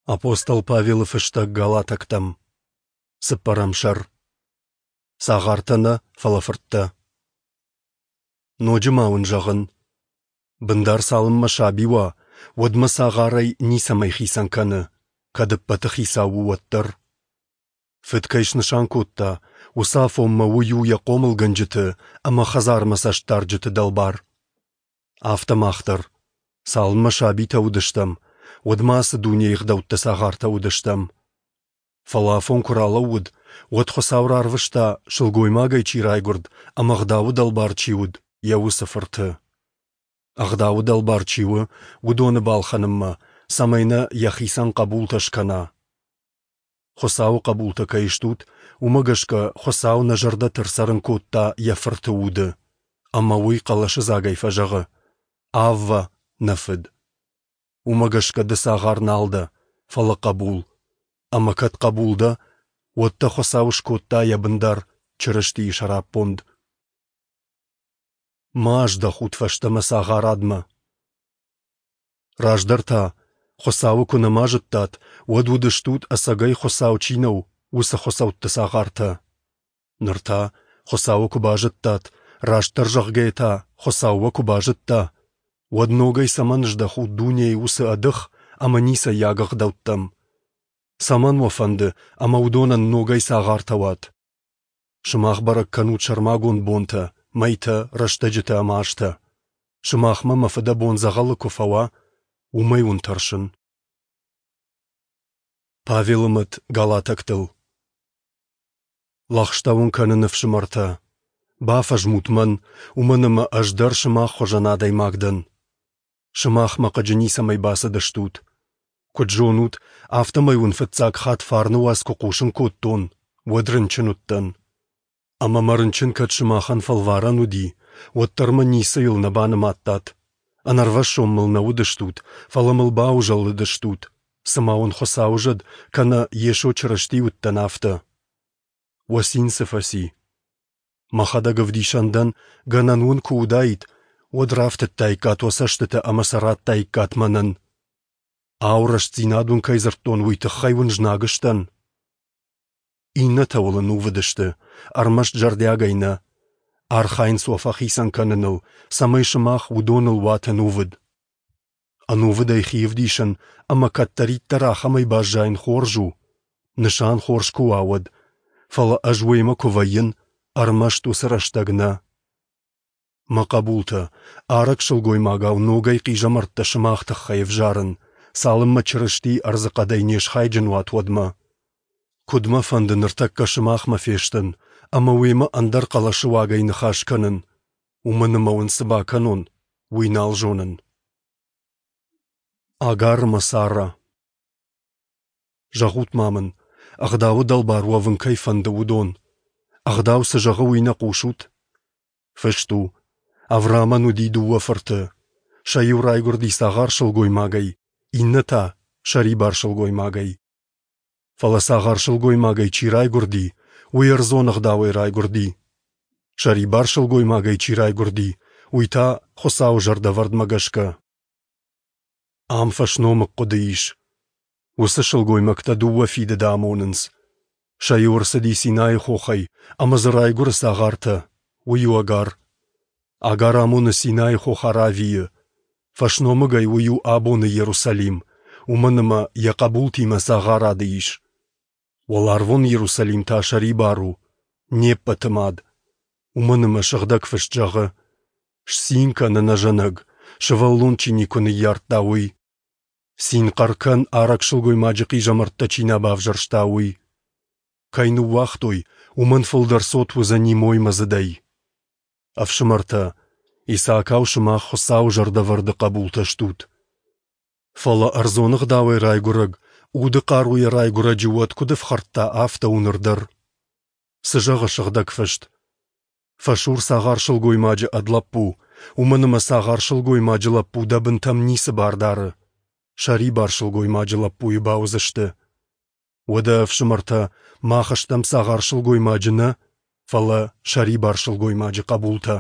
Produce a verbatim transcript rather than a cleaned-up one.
Апостол Павелы фыстӕг Галатӕгтӕм. Цыппӕрӕм сӕр. Цагъартӕ нӕ, фӕлӕ фырттӕ. Ноджы ма уын зӕгъын: бындар цалынмӕ саби уа, уӕдмӕ цагъарӕй ницӕмӕй хицӕн кӕны, кӕд ӕппӕты хицау у, уӕддӕр. Фыд кӕй снысан кодта, уыцы афонмӕ уый у йӕ хъомылгӕнджыты ӕмӕ хӕдзармӕ цӕстдарджыты дӕлбар. Афтӕ мах дӕр, цалынмӕ сабитӕ уыдыстӕм, уӕдмӕ ацы дунейы ӕгъдӕутты цагъартӕ уыдыстӕм. Фӕлӕ афон куы ралӕууыд, уӕд Хуыцау рарвыста, сылгоймагӕй чи райгуырд ӕмӕ ӕгъдауы дӕлбар чи уыд, йӕ уыцы Фырты. Ӕгъдауы дӕлбар чи у, уыдоны балхӕнынмӕ, цӕмӕй нӕ йӕхицӕн хъӕбултӕ скӕна. Хуыцауы хъӕбултӕ кӕй стут, уымӕ гӕсгӕ Хуыцау нӕ зӕрдӕты ӕрцӕрын кодта йӕ Фырты Уды, ӕмӕ уый хъӕлӕсыдзагӕй фӕзӕгъы: «Аввӕ, нӕ Фыд!» Уымӕ гӕсгӕ ды цагъар нал дӕ, фӕлӕ хъӕбул. Ӕмӕ кӕд хъӕбул дӕ, уӕд дӕ Хуыцау скодта йӕ бындар Чырыстийы сӕраппонд. Ма аздӕхут фӕстӕмӕ цагъарадмӕ. Раздӕр та, Хуыцауы куы нӕма зыдтат, уӕд уыдыстут, ӕцӕгӕй Хуыцау чи нӕу, уыцы хуыцӕутты цагъартӕ. Ныр та, Хуыцауы куы базыдтат, растдӕр зӕгъгӕйӕ та, Хуыцау уӕ куы базыдта, уӕд ногӕй цӕмӕн здӕхут дунейы уыцы ӕдых ӕмӕ ницӕййаг ӕгъдӕуттӕм? Цӕмӕн уӕ фӕнды, ӕмӕ уыдонӕн ногӕй цагъартӕ уат? Сымах бӕрӕг кӕнут сӕрмагонд бонтӕ, мӕйтӕ, рӕстӕджытӕ ӕмӕ азтӕ. Сымахмӕ мӕ фыдӕбон дзӕгъӕлы куы фӕуа, уымӕй уын тӕрсын. Павелы мӕт галатӕгтыл. Лӕгъстӕ уын кӕнын, ӕфсымӕртӕ, бафӕзмут мӕн, уымӕн ӕмӕ ӕз дӕр сымах хуызӕн адӕймаг дӕн. Сымах мӕ хъыджы ницӕмӕй бацыдыстут. Куыд зонут, афтӕмӕй уын фыццаг хатт фарны уац куы хъусын кодтон, уӕд рынчын уыдтӕн. Ӕмӕ мӕ рынчын кӕд сымахӕн фӕлварӕн уыди, уӕддӕр мӕ ницыйыл нӕ банымадтат. Ӕнӕрвӕссон мыл нӕ уыдыстут, фӕлӕ мыл баузӕлыдыстут, цыма уын Хуыцауы зӕд кӕнӕ Йесо Чырысти уыдтӕн, афтӕ. Уӕ цин цы фӕци? Мӕхӕдӕг ӕвдисӕн дӕн, гӕнӕн уын куы уыдаид, уӕд рафтыдтаиккат уӕ цӕстытӕ ӕмӕ сӕ радтаиккат мӕнӕн. Ау, рӕстдзинад уын кӕй дзырдтон, уый тыххӕй уын знаг сдӕн? Иннӕтӕ уыл ӕнувыд сты, ӕрмӕст зӕрдиагӕй нӕ. Архайынц уӕ фӕхицӕн кӕныныл, цӕмӕй сымах уыдоныл уат ӕнувыд. Ӕнувыдӕй хи ӕвдисын ӕмӕ кӕддӕриддӕр ахӕмӕй баззайын хорз у, нысан хорз куы уа, уӕд, фӕлӕ ӕз уемӕ куы вӕййын, ӕрмӕст уыцы рӕстӕг нӕ. Мӕ хъӕбултӕ, арӕг сылгоймагау ногӕй хъизӕмӕрттӕ сымах тыххӕй ӕвзарын, цалынмӕ Чырыстийы ӕрдзыхъӕдӕй не схайджын уат, уӕдмӕ. Куыд мӕ фӕнды ныртӕккӕ сымахмӕ фестын ӕмӕ уемӕ ӕндӕр хъӕлӕсы уагӕй ныхас кӕнын, уымӕн ӕмӕ уын цы бакӕнон, уый нал зонын. Агар ӕмӕ Сара. Зӕгъут-ма мын, ӕгъдауы дӕлбар уӕвын кӕй фӕнды, уыдон, ӕгъдау цы зӕгъы, уый нӕ хъусут? Фыст у: Авраамӕн уыди дыууӕ фырты. Сӕ иу райгуырди цагъар сылгоймагӕй, иннӕ та сӕрибар сылгоймагӕй. Фӕлӕ цагъар сылгоймагӕй чи райгуырди, уый ӕрдзон ӕгъдауӕй райгуырди. Сӕрибар сылгоймагӕй чи райгуырди, уый та Хуыцауы зӕрдӕвӕрдмӕ гӕсгӕ. Ам фӕсномыг хъуыды ис. Уыцы сылгоймӕгтӕ дыууӕ фидыды амонынц. Сӕ иу ӕрцыди Синайы хохӕй, ӕмӕ дзы райгуыры цагъартӕ, уый у Агар. Агар амоны Синайы хох Аравийы. Фӕсномыгӕй уый у абоны Иерусалим, уымӕн ӕмӕ йӕ хъӕбултимӕ цагъарады ис. Уӕларвон Иерусалим та сӕрибар у, не ппӕты мад. Уымӕн ӕмӕ Сыгъдӕг Фыст зӕгъы: «Сцин кӕн, ӕнӕзӕнӕг, сывӕллон чи никуы ныййардта, уый. Цин хъӕр кӕн, арӕг сылгоймаджы хъизӕмӕрттӕ чи нӕ бавзӕрста, уый. Кӕй ныууагътой, уымӕн фылдӕр цот уыдзӕни моймӕдзыдӕй». Ӕфсымӕртӕ, Исаакау сымах Хуыцауы зӕрдӕвӕрды хъӕбултӕ стут. Фӕлӕ ӕрдзон ӕгъдауӕй райгуырӕг, уды хъаруйӕ райгуырӕджы уӕд куыд ӕфхӕрдта, афтӕ у ныр дӕр. Цы зӕгъы Сыгъдӕг Фыст? Фӕсур цагъар сылгоймаджы ӕд лӕппу, уымӕн ӕмӕ цагъар сылгоймаджы лӕппу дӕ бынтӕм ницы бар дары. Сӕрибар сылгоймаджы лӕппуйы бауыдзысты. Уӕдӕ, ӕфсымӕртӕ, мах стӕм цагъар сылгоймаджы нӕ, фӕлӕ сӕрибар сылгоймаджы хъӕбултӕ.